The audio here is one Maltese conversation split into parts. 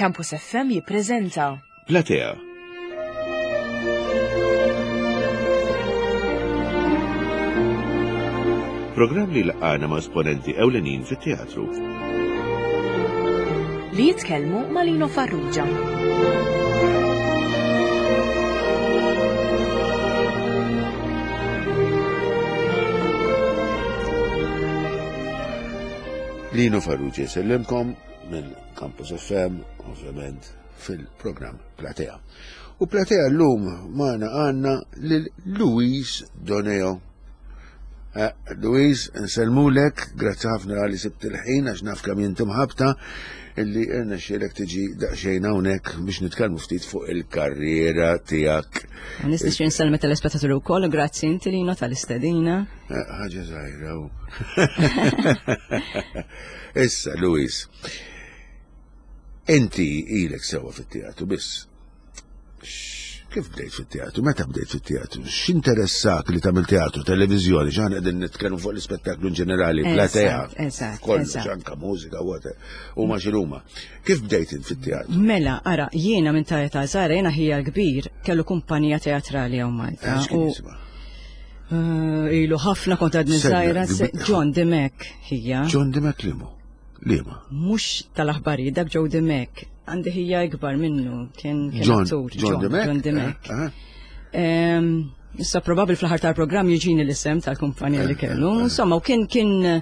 Campus FM jippreżenta Platea. Programm li laqgħana ma' esponenti ewlenin fit-teatru. Li jitkellmu ma' Lino Farrugia. Lino Farrugia jsellimkom minn Campus FM, ovvjament fil-programm Platea. U Platea l-lum maħna għanna lil Luis Doneo. Eh, Luis, nsellmulek, grazzi ħafna għalli sibt il-ħin għax naf kemm inti mħabta illi irna xielek tiġi daqsxejn hawnhekk biex nitkellmu ftit fuq il-karriera tiegħek. Nista' xi nsellmi tal-ispettaturi wkoll, grazzi inti Lino tal-istedina. Eh, ħaġa żgħira. Issa, Luis, inti ilek sewa fit-teatru biss. Kif bdejt fit-teatru? Meta bdejt fit-teatru? X'interessak li tagħmel teatru, televiżjoni, x'aħna qegħdin nitkellmu fuq l-ispettaklu in ġenerali, platea, kollox anka mużika, whatever, huma x'inhuma. Kif bdejt int fit-teatru? Mela, ara, jiena minn ta' età żgħira jiena ħija l-kbir kellu kumpanija teatrali hawn Malta. Eh, ilu ħafna kont għadni żgħira, John Dimek ħija. John Dimek limu? Liema? Mhux tal-aħbarijiet dak Joe Dimek. Għandi ħija ikbar minnu kien John John Dimek. John Dimek. Eh, eh. Issa probabbli fl-aħħar tal-programm jiġini l-isem tal-kumpanija li kellu. Insomma, u kien kien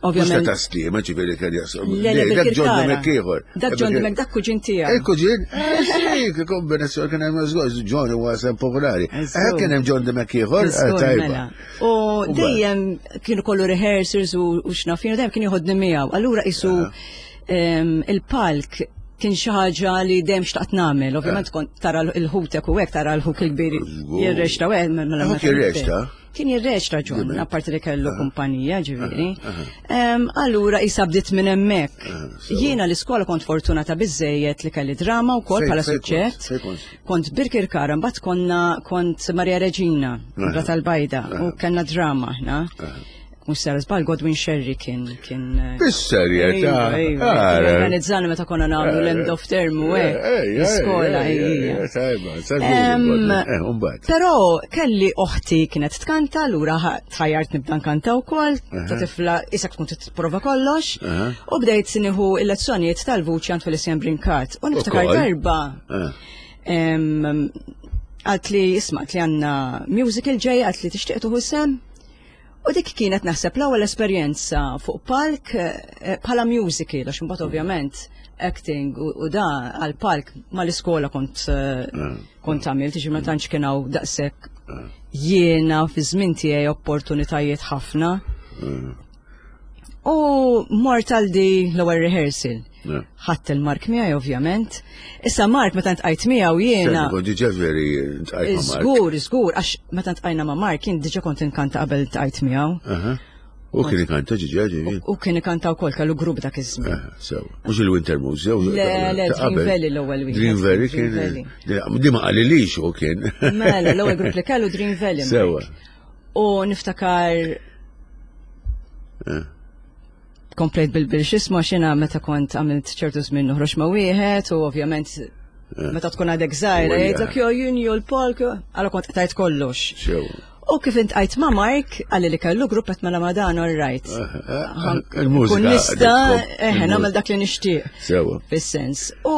ovvjament. Ta' stima ġifieri kien jaqsam. Dak John Dimek ieħor. Dak John Dimek dak kuġin tiegħek. Il-kuġin, eh, kombinazzjoni kien hemm żgur, John huwa sem popolari. Eh, kien hemm John Dimek ieħor, tajba. Mela. U dejjem kienu kollu rehearsals u x'naf jiena dejjem kien joħodni miegħu. Allura isu il-palk kien xi ħaġa li dejjem xtaqt nagħmel. Ovvjament kont tara l-ħutek u hekk tara l-ħuk il-kbir jirrexta u hekk. Mela jirrexta? Kien jirrexta ġon, apparti li kellu kumpanija ġifieri. Allura isa bdiet minn hemmhekk. Jiena l-iskola kont fortunata biżejjed li kelli drama wkoll bħala suġġett. Kont Birkirkara, mbagħad konna kont Maria Reġina, Ra tal-Bajda, u kellna drama aħna. Mhux sar żball Godwin Sherry kien kien. Eh, Bis-serjetà. Iva, iva, organizzana meta konna nagħmlu l-end of term u hekk. L-iskola hija. Tajba, eh, Però kelli oħti kienet tkanta, lura tħajjart nibda nkanta wkoll, ta' tifla isek tkun tipprova kollox, u bdejt nieħu il-lezzjonijiet tal-vuċi għand Felicien Brincat. U niftakar darba Għalt li isma' li għandna musical ġej, għalt li tixtieq tuħu sem. U dik kienet naħseb l-ewwel esperjenza fuq palk eh, bħala musical, għax imbagħad ovvjament acting u da għal palk mal-iskola kont eh, mm. kont għamilt, ġi ma tantx kien hawn daqshekk mm. jiena fi żmien tiegħi opportunitajiet ħafna. Mm. U mort għal di l-ewwel rehearsal. Ħadd il-Mark miegħi ovvjament. Issa Mark meta ntqajt miegħu jiena. Kont diġà veri ntqajt ma' Mark. Żgur, żgur, għax meta ntqajna ma' Mark jien diġà kont inkanta qabel ntqajt miegħu. U kien ikanta ġiġa ġiġi. U kien ikanta wkoll kellu grupp dak iż-żmien. Sew. Mhux il-Winter Moose, jew. Le, le, Dream Valley l-ewwel wieħed. Dream Valley kien. Di ma qalilix u kien. Mela, l-ewwel grupp li kellu Dream Valley. Sewa. U niftakar eh. komplejt bil-bil xisma xina meta kont għamilt ċertu żmien noħroġ ma' wieħed u ovvjament eh. meta tkun għadek żgħira jgħidlek jo jien jo l-palk għala kont qtajt kollox. U kif intqajt ma' Mark, għalli li kellu grupp qed mela ma' dan all right. Eh, Il-mużika. Kun nista' eħe nagħmel dak li nixtieq. Sewa. Fis-sens. U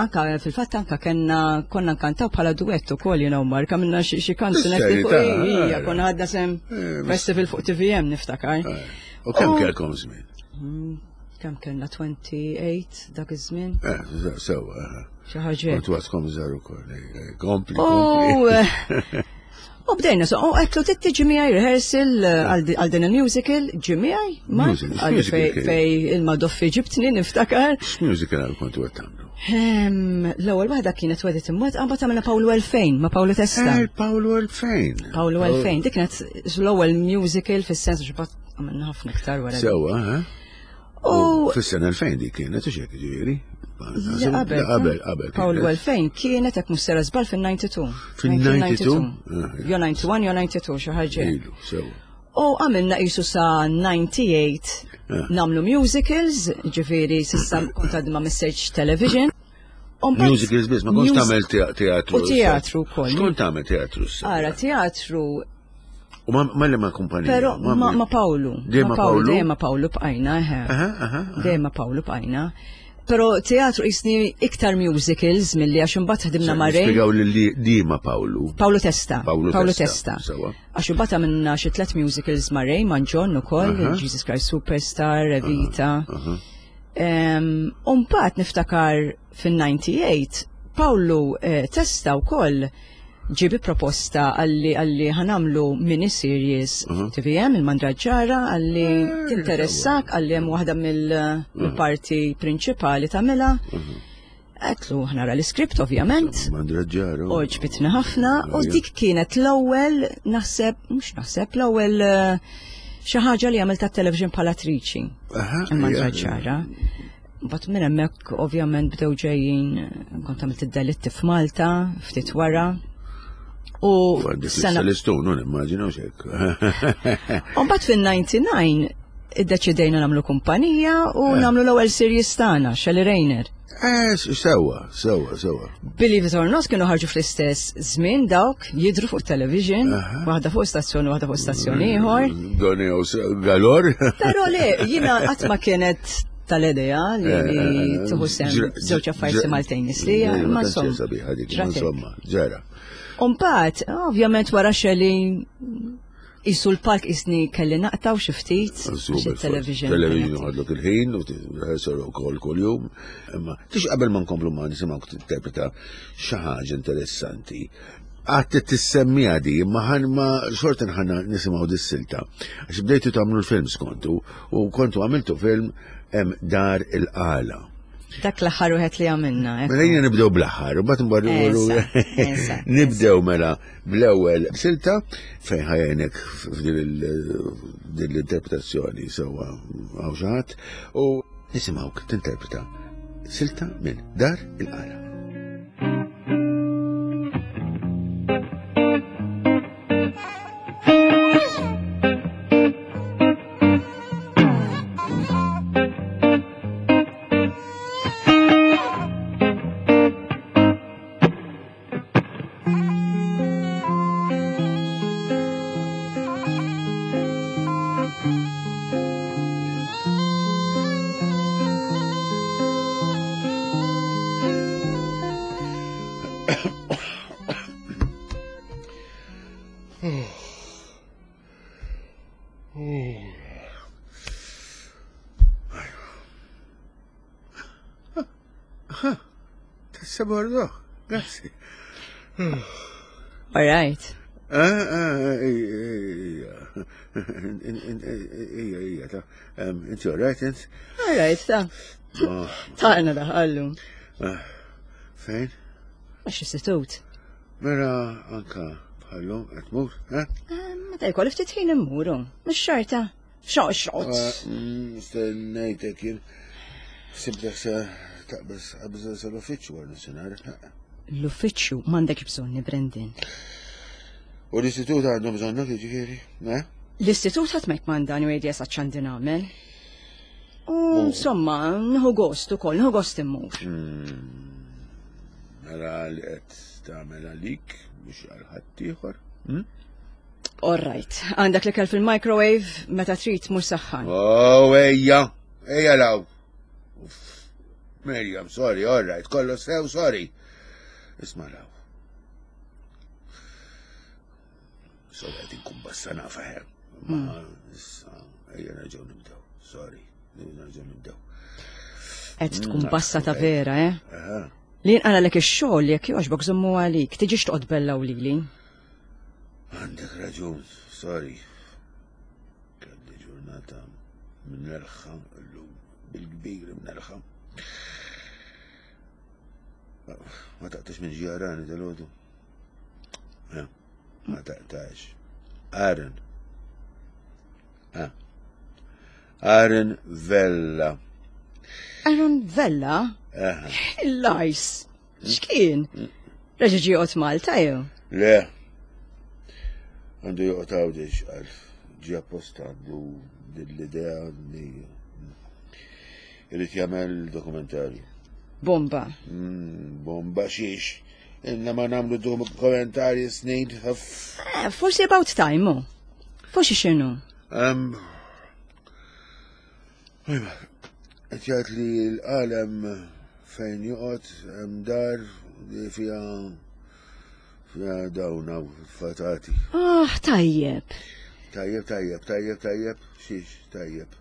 anka fil-fatt anka kenna konna nkantaw bħala duett ukoll you know Mark għamilna xi kanzunetti fuq hija konna għadna sem eh, festival fuq TVM niftakar. Eh, u kemm kellkom żmien? Mm, kemm kellna 28 dak iż-żmien? Eh, sewa. Xi ħaġa. Kont waskom żgħar ukoll. Kompli. kompli. U bdejna, so, u għetlu tiġi miegħi rehearsal eh, għal din il-musical, ġi miegħi, ma għal fej il-madoffi ġibtni niftakar. X'musical għal kontu qed tagħmlu? Ehm, l-ewwel waħda kienet wedet imwet qabad għamilna Paolo 2000 ma' Paolo Testa. Eh, Paolo 2000. Paolo 2000, dik kienet l-ewwel musical fis-sens x'bat għamilna ħafna iktar wara. Sewwa, eh? U fis-sena 2000 dik kienet u xek ġifieri. Qabel, qabel, qabel. Paul 2000 kienet hekk mhux sera żball fin-92. Fin-92? Jo 91 jo 92 xi ħaġa. Ilu, sewa. U għamilna qisu sa 98 Eh. nagħmlu musicals, ġifieri s'issa kont għadni ma missejtx television. U mbagħad- Musicals biss, ma kontx Mus- tagħmel teatru. U teatru wkoll. X'kont tagħmel teatru issa? Ara, teatru, U ma ma li ma kumpanija. pero ma, ma Pawlu. Dejjem ma Pawlu? Dejjem ma Pawlu bqajna, eħe. Aha, aha. aha. Dejjem ma Pawlu bqajna. Pero teatru jisni iktar musicals milli għax imbagħad ħdimna ma' Ray. Spjegaw li li di ma Pawlu. Pawlu Testa. Pawlu Testa, sewa. Għax imbagħad għamilna xi tliet musicals ma' Ray, ma' John ukoll, Aha. Jesus Christ Superstar, Evita. Aha. U mbagħad niftakar fin-98 Pawlu eh, Testa wkoll ġie bi proposta għalli għalli ħanamlu mini-series TVM il-Mandraġġara għalli tinteressak għalli hemm waħda mill-parti prinċipali tagħmilha. Għetlu ħnara l-iskript ovvjament. Mandraġġara. U ġbitna ħafna u dik kienet l-ewwel naħseb, mhux naħseb, l-ewwel eh, xi ħaġa li għamilt tat-television bħala attriċi. Aha, Il-Mandraġġara. Mbagħad minn hemmhekk ovvjament bdew ġejjin kont għamilt id-delitti f'Malta ftit wara. U Għandek sena l-istun, non immaġina xek. U mbagħad fin-99 iddeċidejna nagħmlu kumpanija u nagħmlu l-ewwel series tagħna, Shelley Rayner. Eh, sewa, sewa, sewa. Believe it or not kienu ħarġu fl-istess żmien dawk jidru fuq television, waħda fuq stazzjon u waħda fuq stazzjon ieħor. Doni galor. Però le, jiena qatt ma kienet tal-idea li li tieħu sem żewġ affarijiet simultaneously, ma insomma. Sabiħa dik, ma ġratek. insomma, ġara. Umbagħad, ovvjament wara Shelley isu l-palk isni kelli naqtaw xi ftit għax il-television. Television għadlok il-ħin, u rehearsal u kol kol jum. Imma, tix qabel ma nkomplu ma nisimgħu tinterpreta xi ħaġa interessanti. Għad tissemmi għadi, imma ħan ma xorta nħanna nisimgħu dis-silta. Għax bdejtu tagħmlu l-films kontu, u kontu għamiltu film em, Dar il-Qala. Dak l-aħħar wieħed li għamilna. ekku. Mela jina nibdew bl-aħħar, u bat Esa, esa, nibdew mela bl-ewwel silta fejn ħajjenek f'din l-interpretazzjoni sewwa hawn xi ħadd u nisimgħuk tinterpreta silta minn Dar il-Qala. Tassa bordo, grazzi. All right. Ah, ah, ija, ija, ija, ta' inti all right, int? All right, ta' Oh, taqna daħallu. ah, Fejn? Għax istitut. Mela anka bħallum qed tmur, eh? Meta jkolli ftit ħin immuru, mhux xorta. Xoq xot. Stennejtek jien. Sibtek se taqbeż qabża sal-uffiċċju għal nofsinhar. L-uffiċċju m'għandek bżonni, Brendan. U l-istitut għandhom bżonnok jiġifieri, eh? L-istitut ħadd ma jkmandani u jgħid esatt x'għandi nagħmel. U insomma, nħu gost ukoll, nħu gost immur. Mela li qed tagħmel għalik mhux għal ħadd ieħor. All right, għandek l-ikel fil-microwave meta trid mur saħħan. Oh, ejja, ejja law. Uff. Miriam, sorry, all right, kollu sew, sorry. Isma' law. So qed inkun bassa nafa ħer. Ma issa ejja nerġgħu nibdew. Sorry, nerġgħu nibdew. Qed tkun bassa ta' vera, eh? Aha. Li nqaralek ix-xogħol jekk jogħġbok żommu għalik, tiġix toqgħod bella u lili. Għandek raġun, sorry. Kelli ġurnata mnerħa llum bil-kbir mnerħa. Ma taqtax minn ġjarani tal-ħodu. Ma taqtax. Aaron. Ah. Aaron Vella. Aaron Vella? Aha. Il-lajs. X'kien? Reġa' ġie joqgħod Malta jew? Le. Għandu joqgħod Għawdex għal. ġie apposta għandu din l-idea li irid jagħmel dokumentarju. Bomba. Mm, bomba xiex. Inna ma nagħmlu dokumentarji snin. Eh, forsi about time, oh. Forsi x'inhu? Um, Qed jgħid li l-qalem fejn joqgħod hemm dar li fiha fiha dawn fatati. Ah, tajjeb. Tajjeb, tajjeb, tajjeb, tajjeb, xiex, tajjeb.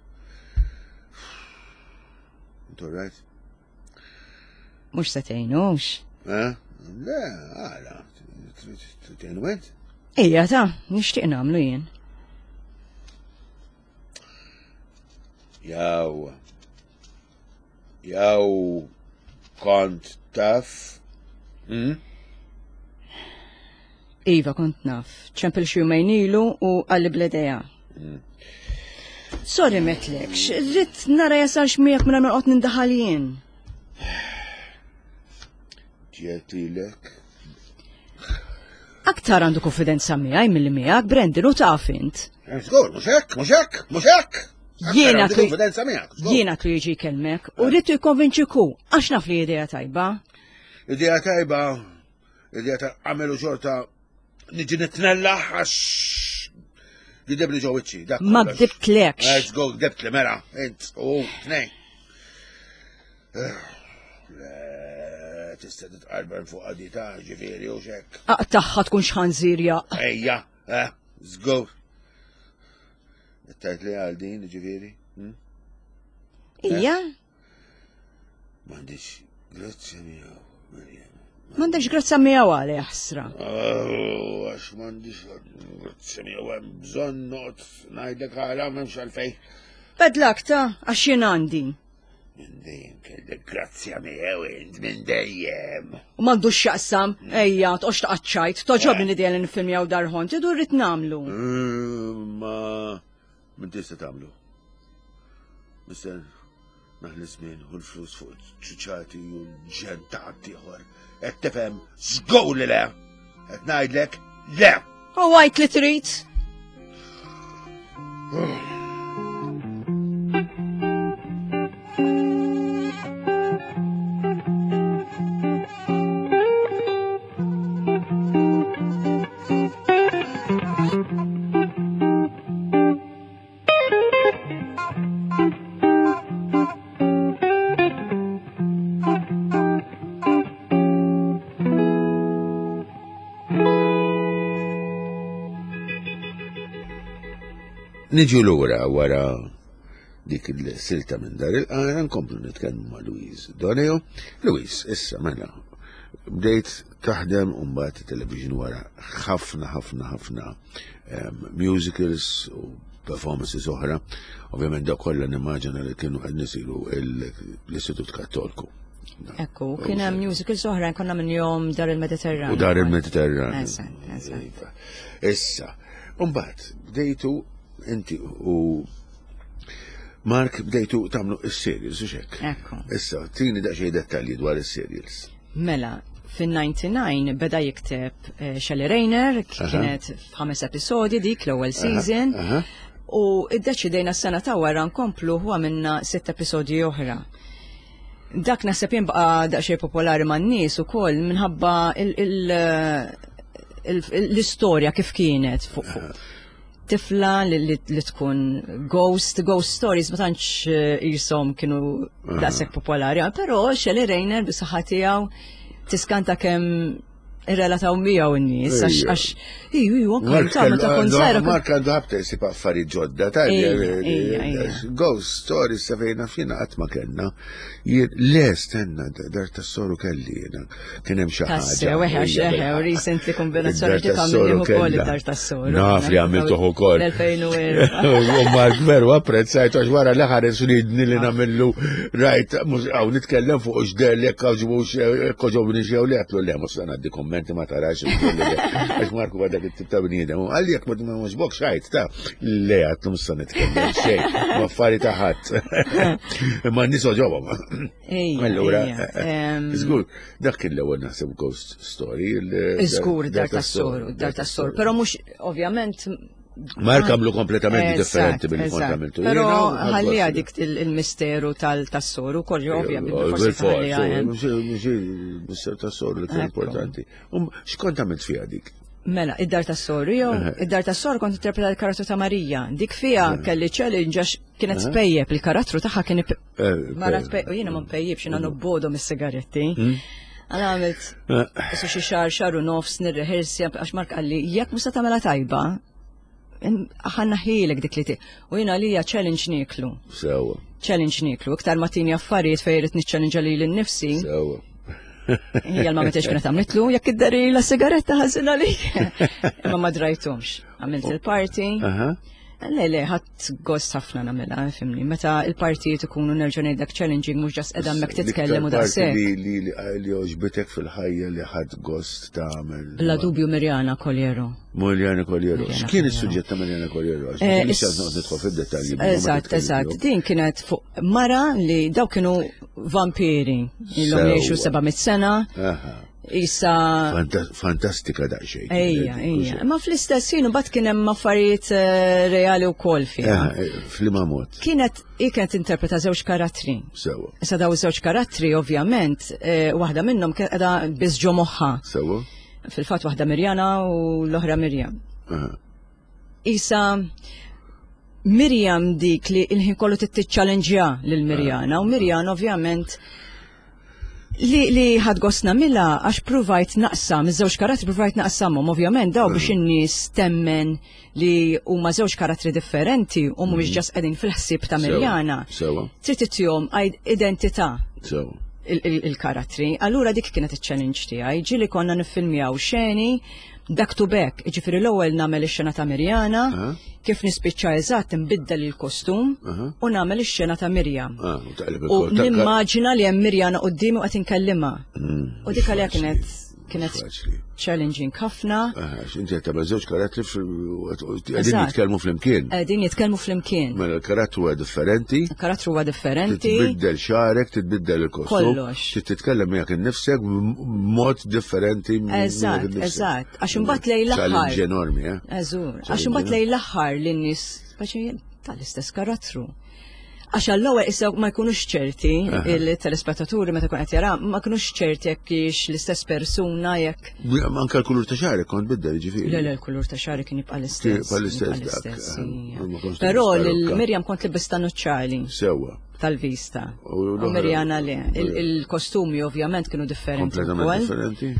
Intu right? Mux se tgħinux. Eh? Le, għala, tgħinu int? Ejja ta' nixtieq nagħmlu jien. Jaw. Jaw kont taf. Hmm? Iva, kont naf. ċempel xi jumejn ilu u għalli bl-idea. Hmm. Sorry metlekx, rrid nara jasalx miegħek minn ma noqgħod nindaħal jien. Ġiet lilek. Aktar għandu konfidenza miegħi milli miegħek, Brandon, u taf int. Eh, żgur, mhux hekk, mhux hekk, mhux hekk. Jiena konfidenza miegħek. Jiena tu jiġi jkellmek u rrid jikkonvinċiku għax naf li idea tajba. Idea tajba, idea ta' għamelu xorta niġi nitnella għax gidebli ġo wiċċi. Ma gdibtlekx. Let's go, gdibtli mela, int u tnej. Tista' titqarben fuq għadita, ġifieri u xek. Aqtaħħa tkun xħanżir ja. Ejja, eh, żgur. Tajt li għal din, ġifieri. Hm? Ija? M'għandix grazzja miegħu, Mirjam. M'għandekx grazzja miegħu għal ħsra. Oh, għax m'għandix grazzja miegħu hemm bżonn noqgħod ngħidlek għala m'hemmx għalfejn. Bedlak ta' għax jien għandi. Minn dejjem kellek grazzja miegħu int minn dejjem. U m'għandux x'jaqsam, ejja, toqgħodx taqgħod toġobni l-idea li nifilmjaw darħon, tidu rrid nagħmlu. Mm, ma min tista' tagħmlu. Mister naħli żmien u l-flus fuq ċuċati u l-ġen ta' ħaddieħor. Qed tifhem żgur li le. Qed ngħidlek le. U għajt li trid. Niġu lura wara dik il-silta minn dar il-qara nkomplu nitkellmu ma' Louise Doneo. Louise, issa mela, bdejt taħdem u mbagħad television wara ħafna ħafna ħafna ehm, musicals u performances oħra. Ovvjament dak kollha nimmaġina li kienu qed nisiru l-Istitut Kattolku. Ekku, kien hemm musicals oħra konna minn jom Dar il-Mediterran. U Dar il-Mediterran. Iva. Issa, mbagħad bdejtu inti u Mark bdejtu tagħmlu is-serials u xek. Ekku. Issa, tini daqsxejn dettalji dwar is-serials. Mela, fin-99 beda jikteb eh, Shelley Rayner, kienet f'ħames episodi dik l-ewwel season. U iddeċidejna s-sena ta' wara nkomplu u għamilna sitt episodji oħra. Dak naħseb jien baqa' daqsxejn popolari man-nies ukoll minħabba l-istorja kif kienet fuq tifla li tkun ghost, ghost stories ma tantx eh, jisom kienu daqshekk popolari, però Shelley Rayner bis-saħħa tiegħu tiskanta kemm irrelataw miegħu n-nies għax iju iju anke ta' meta kont żgħira. Mark għandu ħabta jsib affarijiet ġodda ta' Ghost stories sa fejna fina qatt ma kellna. Le stenna dar tas-soru kelli jiena kien hemm xi ħaġa. Tassew eħe għax eħe u recently kombinazzjoni ġiet għamilni ukoll id-dar tas-soru. Naf li għamiltuh ukoll. L-2004. U Mark veru apprezzajt għax wara li ħares ridni li nagħmillu rajt mhux hawn nitkellem fuq x'der li jekk għaġbux jekk għoġobni xew li għatlu le mhux se ngħaddi kommenti ma tarax għax Marku għadak it-tip ta' bniedem. Għalli jekk ma għoġbok xajt ta' le għatlu mhux se nitkellem xejn ma affari ta' ħadd. Imma n-nies għoġobhom. Allura, żgur, dak kien l-ewwel naħseb ghost story. Żgur dar tas-soru, dar tas-soru, però mhux ovvjament. Mark għamlu kompletament differenti mill kont għamiltu. Pero ħallija dik il-misteru tal-soru, kollu ovvja, bil-forsi. Il-misteru tas-soru li kien importanti. Um, x'kont għamilt fiha dik? Mela, id-dar tas-soru jew id-dar tas-soru kont interpreta l-karattru ta' Marija. Dik fiha kelli challenge għax kienet tpejjep il-karattru tagħha kien eh, mara tpejjep u jiena ma npejjibx jiena nobbodu mis-sigaretti. Hmm? Għana għamilt eh. xi xahar xahar u nofs nirrehersja għax Mark qalli jekk mhux se tagħmilha tajba, ħanna ħilek dik li ti. U jina li challenge niklu. Sewa. Challenge niklu. Iktar ma tini affarijiet fejn irid niċċallenġa lili nnifsi. Sewa. Hija l-ma metiex kienet għamlitlu, jekk id-dari la sigaretta ħażina li. Imma ma drajtumx. Għamilt il-party. Le, le, ħadd gost ħafna nagħmilha, fimni. Meta il-partijiet ikunu nerġa' ngħidlek challenging mhux ġas qiegħda hemmhekk titkellem u daqshekk. Li li li għoġbitek fil-ħajja li ħadd gost tagħmel. Bla dubju Mirjana Koliero. Mirjana Koliero. X'kien is-suġġett ta' Mirjana Koliero? Eh, nidħol fid-dettalji. Eżatt, eżatt. Din kienet fuq mara li daw kienu vampiri ilhom jgħixu 700 sena. Isa. Fantastika daqsxejn. Ejja, ejja. Ma fl-istess ħin imbagħad kien hemm affarijiet eh, reali wkoll fiha. Eh, eh, f'liema mod. Kienet hi kienet interpreta żewġ karattri. Sewa. Issa daw żewġ karattri ovvjament, waħda minnhom kienet qiegħda biss ġo moħħa. Sewa. Fil-fatt waħda Mirjana u l-oħra Mirjam. Isa Mirjam dik li il-ħin kollu tittiċċalenġja lil Mirjana u Mirjana ovvjament li li ħad gost nagħmilha għax pruvajt naqsam, iż-żewġ karattri pruvajt naqsamhom, ovvjament daw biex mm. in-nies temmen li huma żewġ karattri differenti u mhumiex mm. ġas qegħdin fil-ħsieb ta' Mirjana. Trid ittihom identità. Il-karattri. Allura dik kienet iċ-challenge tiegħi, ġieli konna niffilmjaw xeni back to back, ġifiri l-ewwel nagħmel ix-xena ta' Mirjana, kif nispiċċa eżatt nbiddel il-kostum u nagħmel ix-xena ta' Mirjam. Ah, u nimmaġina li hemm Mirjana quddiemi u qed inkellimha. Mm, u dik għalija kienet kienet challenging ħafna. Inti qed tagħmel żewġ karattri qegħdin jitkellmu flimkien. Qegħdin jitkellmu flimkien. Mela l-karattru huwa differenti. Il-karattru huwa differenti. Titbiddel xagħrek, titbiddel il-kostum. Kollox. Trid titkellem miegħek innifsek b'mod differenti. Eżatt, eżatt. Għax imbagħad lejn l-aħħar. Challenge enormi, eh? Eżur. Għax imbagħad lejn l-aħħar lin-nies tal-istess karattru. Għax għall-ewwel issa ma jkunux ċerti il-telespettaturi meta kun qed jara ma jkunux ċerti jekk hix l-istess persuna jekk. Anke l-kulur ta' xagħri kont biddel ġifieri. Le le l-kulur ta' xagħri kien jibqa' l-istess. Jibqa' l-istess. Però lil Mirjam kont libista nuċċali. Sewwa. Tal-vista. U Mirjana le. Il-kostumi ovvjament kienu differenti. Kompletament differenti.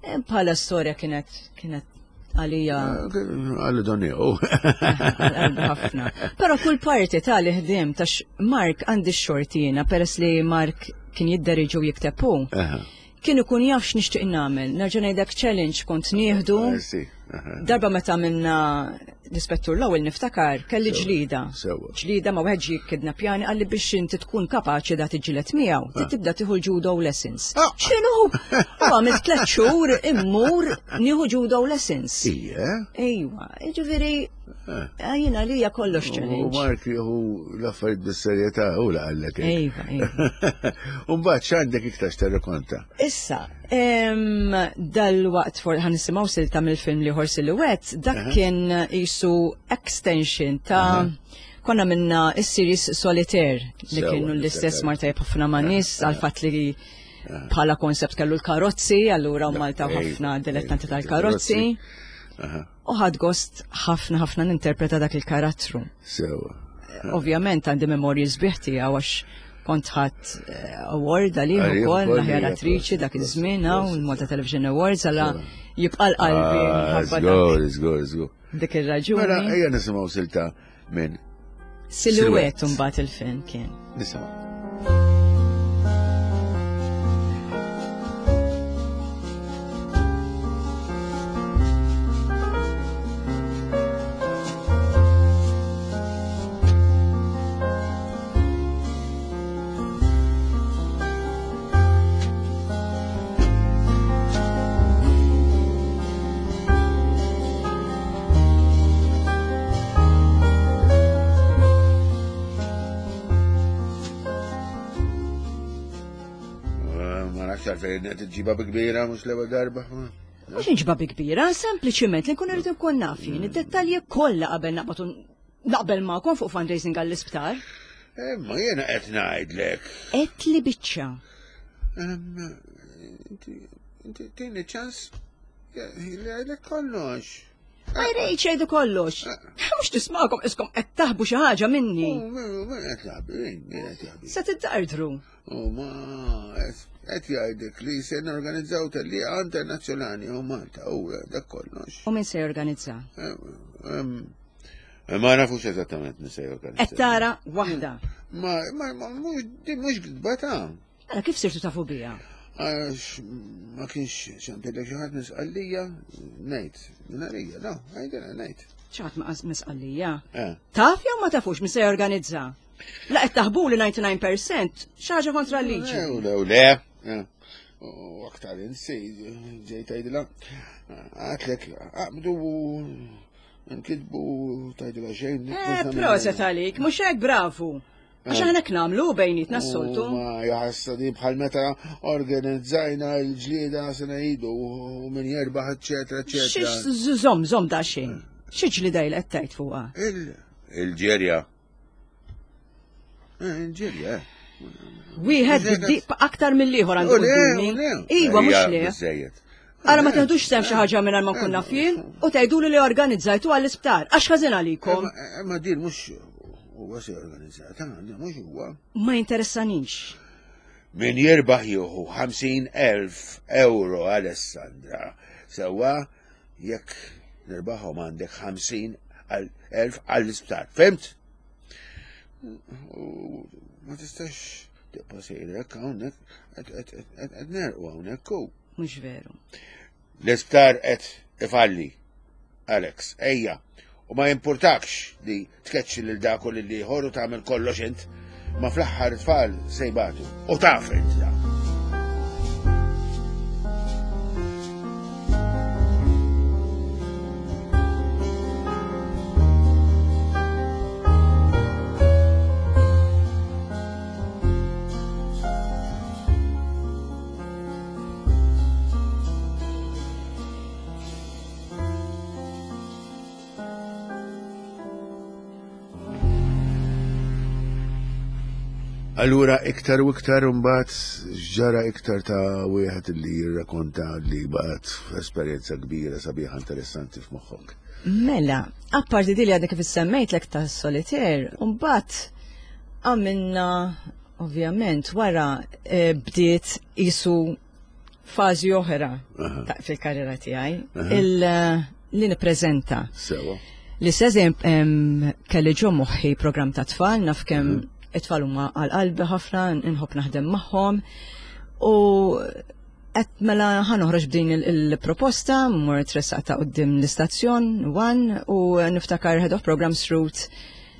Eh, bħala storja kienet kienet għalija. Eh, għalli doniju. ħafna. Pero kull parti ta' li ħdim ta' Mark għandi xortina peress li Mark kien jidderiġu jikteb hu. Kien ikun jaf x'nixtieq nagħmel. Nerġa' ngħidlek challenge kont nieħdu. Darba meta minna l-ispettur l-ewwel niftakar kelli ġlida. Ġlida ma wieħed ġie kidnappjani qalli biex inti tkun kapaċi da tiġġieled miegħu, trid ah. tibda tieħu l-judo lessons. Ah. X'inhu? U għamilt tliet xhur immur nieħu judo lessons. Ija. Ejwa, jiġifieri eh. eh, jiena li hija kollox challenge. U Mark jieħu l-affarijiet bis-serjetà u laqallek. Ejwa, ejwa. U mbagħad x'għandek iktar x'terrekonta? Issa, Dal-waqt for ħan nisimgħu silta mill-film li Silhouette, dak kien jisu extension ta' konna minna is-series Solitaire li kienu l-istess marta ħafna ma' nies għal fatt li bħala konsept kellu l-karozzi, allura Malta ħafna dilettanti tal-karozzi. U ħad gost ħafna ħafna ninterpreta dak il-karattru. Sewa. Ovvjament għandi memorji sbieħ tiegħu għax kont ħadd eh, award għalih ukoll l-aħjar attriċi dak iż-żmien hawn il-Malta Television Awards għala jibqa' l-qalbi. Ah, żgur, żgur, żgur. Dik ir-raġuni. Mela ejja nisimgħu silta minn Silhouette mbagħad il-film kien. Nisimgħu. Ma nafx għalfejn qed iġġibha bi kbira mhux l-ewwel darba. Mhux inġba bi kbira, sempliċiment li nkun irrid nkun naf jien id-dettalji kollha qabel naqbad naqbel magħkom fuq fundraising għall-isptar. Imma jiena qed ngħidlek. Qed li biċċa. Inti tini ċans li ngħidlek kollox. Ma jrejx jgħidu kollox. Mhux tismagħkom iskom qed taħbu xi ħaġa minni. Min qed jaħbi, min qed jaħbi. Se tiddardru. U ma qed jgħidlek li se norganizzaw tellieqa internazzjonali u Malta u dak kollox. U min se jorganizza? Ma nafux eżattament min se jorganizza. Qed tara waħda. Ma ma mhux gidba ta' Mela kif sirtu tafu biha? Għax ma kienx ċempillek xi ħadd misqallija, ngħid, minn no, għajdilha ngħid. Xi ħadd misqallija? Eh. Taf jew ma tafux min se jorganizza? La qed taħbu li 99% xi ħaġa kontra l-liġi. Le, le, le. U aktar insi, ġejt għajdilha, għatlek, għabdu nkitbu tajdilha xejn. Eh, proset għalik, mhux hekk bravu. Għax aħna hekk nagħmlu bejnietna s-soltu. Ma jaħassa di bħal meta organizzajna l-ġlieda sena idu u min jerbaħ eċetera eċetera. Żomm, żomm da xejn. Xi ġlieda il qed tgħid fuqha? Il-ġerja. Eh, il-ġerja. Eh. Wieħed aktar mill-ieħor għandu qudiemi. Iva mhux le. Ara ma teħdux sem xi ħaġa mingħajr ma nkun naf jien u tgħiduli li organizzajtu għall-isptar. Għax ħażin għalikom. Ma din mhux huwa se organizzata, mhux huwa. Ma jinteressanix. Min jirbaħ jieħu 50,000 euro Alessandra. Sewwa jekk nirbaħhom għandek 50,000 għall-isptar. Fimt? Ma tistax tibqa' sejrek hawnhekk qed nerqu hawnhekk u. Mhux veru. L-isptar qed ifalli. Alex, ejja. U ma jimpurtakx li tkeċċi lil dak u lil ieħor u tagħmel kollox int, ma fl-aħħar tfal se jbatu. U taf int da. Allura iktar u iktar mbagħad ġara iktar ta' wieħed li jirrakonta li baqgħet esperjenza kbira sabiħa interessanti f'moħħok. Mela, apparti di li għadek kif semmejt ta' solitaire, mbagħad għamilna Ovvjament, wara eh, bdiet isu fażi oħra fil-karriera tiegħi, eh, li nippreżenta. Sewa. L-istess kelli ġo moħħi programm ta' tfal, naf kemm it-tfal huma għal qalbi ħafna, nħobb naħdem magħhom. U qed mela ħanoħroġ b'din il-proposta, mort tressaqta quddiem l-istazzjon One u niftakar head of programs Ruth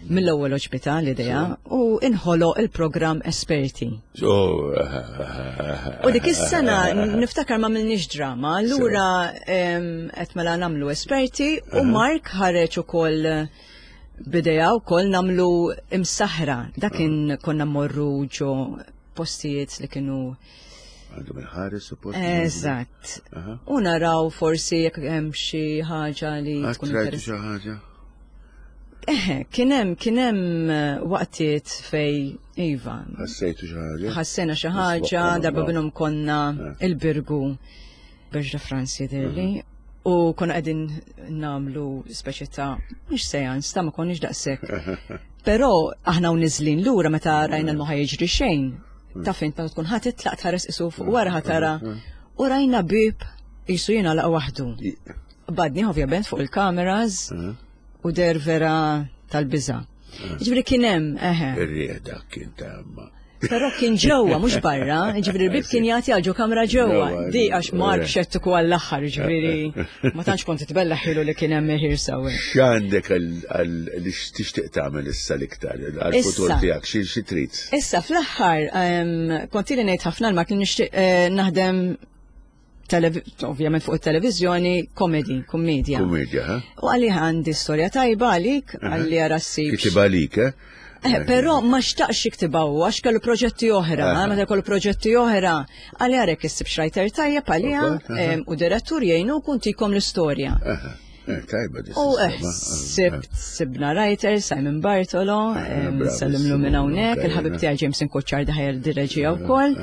mill-ewwel oġbita l-idea u inħoloq il-programm Esperti. U dik is-sena niftakar ma milniex drama, allura qed mela nagħmlu Esperti u Mark ħareġ ukoll bidea wkoll nagħmlu imsaħra. Dak kien konna mmorru ġo postijiet li kienu Għandhom il-ħares suppost. Eżatt. U naraw forsi jekk hemm xi ħaġa li tkun interessanti. xi ħaġa? Eħe, kien hemm kien hemm eh, waqtiet fej iva. Ħassejtu xi ħaġa? Ħassejna xi ħaġa, darba minnhom konna eh. il-Birgu Berġa Franz jidhirli. U konna qegħdin nagħmlu speċi ta' mhux seans ta' ma konniex daqshekk. Però aħna u niżlin lura meta rajna l-ma jiġri xejn. Ta' fint meta tkun ħadd titlaq tħares isu fuq wara ħatara u rajna bib jisu jingħalaq waħdu. Badni ovvjament fuq il-kameras u der vera tal-biża'. Ġifieri kien hemm, eħe. Ir-riħ dak kien ta' ma. Però kien ġewwa mhux barra, ġifieri l-bib kien jagħti għal ġo kamra ġewwa. Di għax Mark xettiku għall-aħħar, ġifieri ma tantx kont titbella ħilu li kien hemm ħir sewwa. X'għandek għal li tixtieq tagħmel issa l-iktar għall-futur tiegħek xi trid? Issa fl-aħħar kont ili ngħid ħafna l-Mark li nixtieq eh, naħdem ovvjament fuq it-televiżjoni, komedi, kummedja. Kummedja, ha? U għalli għandi storja tajba għalik, għalli għara s Kitib għalik, eh? Eh, però ma xtaqx jiktibha hu għax kellu proġetti oħra, meta kellu proġetti oħra, għalli għarek issib xrajter tajjeb għaliha u direttur jgħinu kun tikom l-istorja. Eh, tajba U eh, sibt, sibna writer, Simon Bartolo, sellimlu minn hawnhekk, il-ħabib tiegħi James Inkoċċar daħjer direġija wkoll.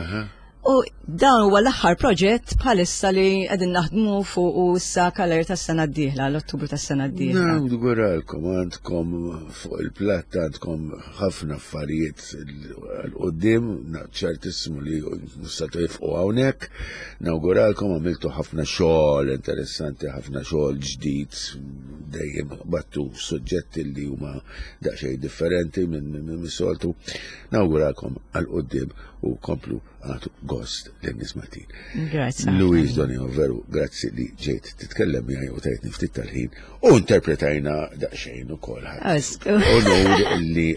U dan huwa l-aħħar proġett bħalissa li qegħdin naħdmu fuq u issa kaler tas-sena d-dieħla, l-Ottubru tas-sena d-dieħla. Nawguralkom għandkom fuq il-platt għandkom ħafna affarijiet l-qoddim, ċertissimu li musta tifqu hawnhekk. Nawguralkom għamiltu ħafna xogħol interessanti, ħafna xogħol ġdid, dejjem battu suġġetti li huma daqsxejn differenti minn soltu. Nawguralkom għal qoddim u komplu għatu gost lin-nies Maltin. Grazzi. Louise Donio, veru, grazzi li ġejt titkellem miegħi u tajtni ftit tal-ħin u interpretajna daqsxejn ukoll. Onur li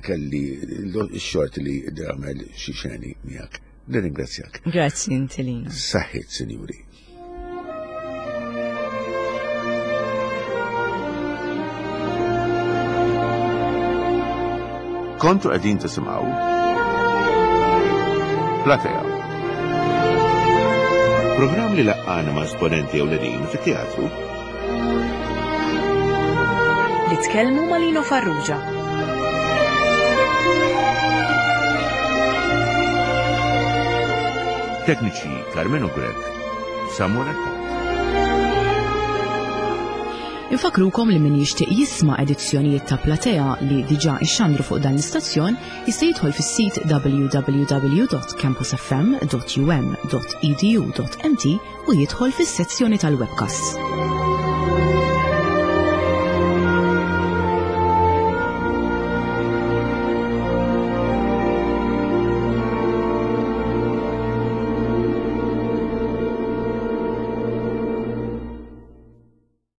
kelli x-xort li għamel xi xeni miegħek. Nirringrazzjak. Grazzi inti Lina. Saħħit, sinjuri. Kontu qegħdin tisimgħu Platea. Programm li laqqana ma' esponenti ewlenin fit-teatru. Li tkellmu ma' Lino Farrugia. Tekniċi Carmenu Grech, Samuel Attard. Infakrukom li min jixtieq jisma' edizzjonijiet ta' Platea li diġà ixxandru fuq dan l-istazzjon jista' jidħol fis-sit www.campusfm.um.edu.mt u jidħol fis-sezzjoni tal-webcasts.